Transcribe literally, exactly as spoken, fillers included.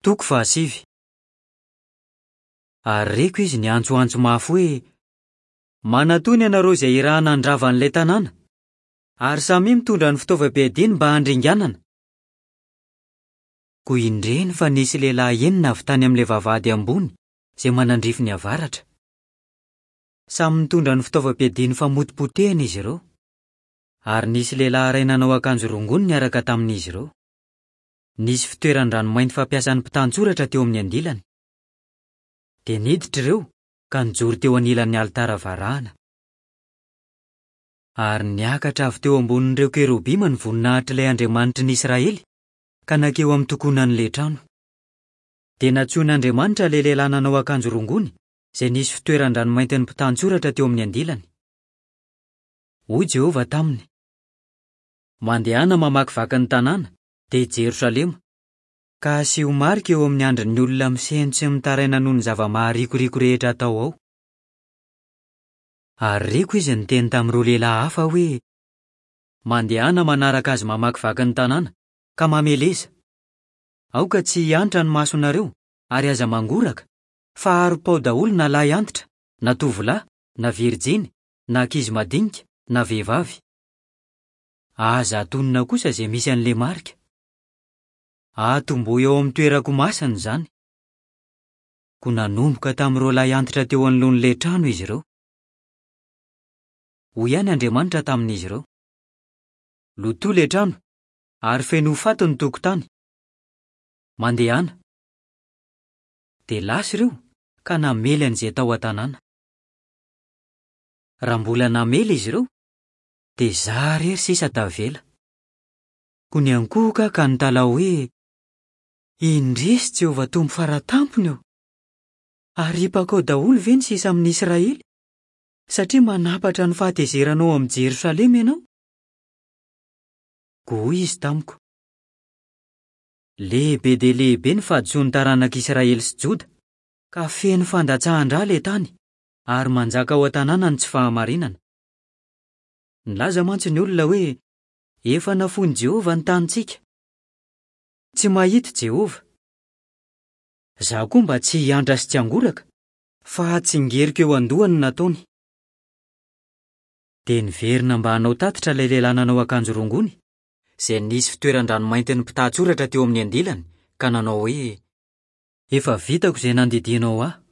Toko fahasivy. Ary reko izy niantsoantso mafy hoe: "Manatòna ianareo izay irahana handrava an'ilay tanàna, ary samia mitondra ny fitaovam-piadiany mba handringanana." Koa indreny fa nisy lehilahy enina avy tany amin'ilay vavahady ambony izay manandrify ny avaratra. Samy nitondra ny fitaovam-piadiany famotipotehana izy ireo. Ary nisy lehilahy iray nanao akanjo rongony niaraka tamin'izy ireo. Nisy fitoeran-dranomainty fampiasan'ny mpitantsoratra teo amin'ny andilany. Dia niditra ireo ka nijoro teo anilan'ny alitara varahana. Ary niakatra avy teo ambonin'ireo kerobima ny voninahitr'ilay Andriamanitry ny Israely ka nankeo amin'ny tokonan'ilay trano. Dia nantsoin'Andriamanitra ilay lehilahy nanao akanjo rongony izay nisy fitoeran-dranomaintin'ny mpitantsoratra teo amin'ny andilany. Hoy Jehovah taminy: "Mandehana mamakivaky ny tanàna, dia Jerosalema, ka asio marika eo amin'ny andrin'ny olona misento sy mitaraina noho ny zava-maharikoriko rehetra atao ao." Ary reko izy niteny tamin'ireo lehilahy hafa hoe: "Mandehana manaraka azy mamakivaky ny tanàna, ka mameleza. Aoka tsy hiantra ny masonareo, ary aza mangoraka, fa aropao daholo na lahy antitra, na tovolahy, na virjiny, na ankizy madinika, na vehivavy. Aza atonina kosa izay misy an'ilay marika. Atombohy eo amin'ny toerako masina izany." Koa nanomboka tamin'ireo lahy antitra teo anoloan'ilay trano izy ireo. Hoy ihany Andriamanitra tamin'izy ireo: "Lotoy ilay trano, ary feno faty ny tokotany. Mandehana." Dia lasa ireo ka namely an'izay tao an-tanàna. Raha mbola namely izy ireo, dia izaho irery sisa tavela. Koa niankohoka aho ka nitalaho hoe: "Indrisy Jehovah Tompo faratampony ô! Aripako ao daholo ve ny sisa amin'ny Israely, satria manampatra ny fahatezeranao amin'i Jerosalema ianao?" Koa hoy izy tamiko: "Lehibe dia lehibe ny fahadisoan'ny taranak'Israely sy Joda, ka feno fandatsahan-drà ilay tany, ary manjaka ao an-tanàna ny tsy fahamarinana. Nilaza mantsy ny olona hoe: 'Efa nafoin'i Jehovah ny tanintsika. Tsy mahita Jehovah.' Izaho koa mba tsy hiantra sy tsy hangoraka, fa hatsingeriko eo an-dohany ny nataony." Dia niverina mba hanao tatitra ilay lehilahy nanao akanjo rongony, izay nisy fitoeran-dranomaintin'ny mpitantsoratra teo amin'ny andilany, ka nanao hoe: "Efa vitako izay nandidianao ahy."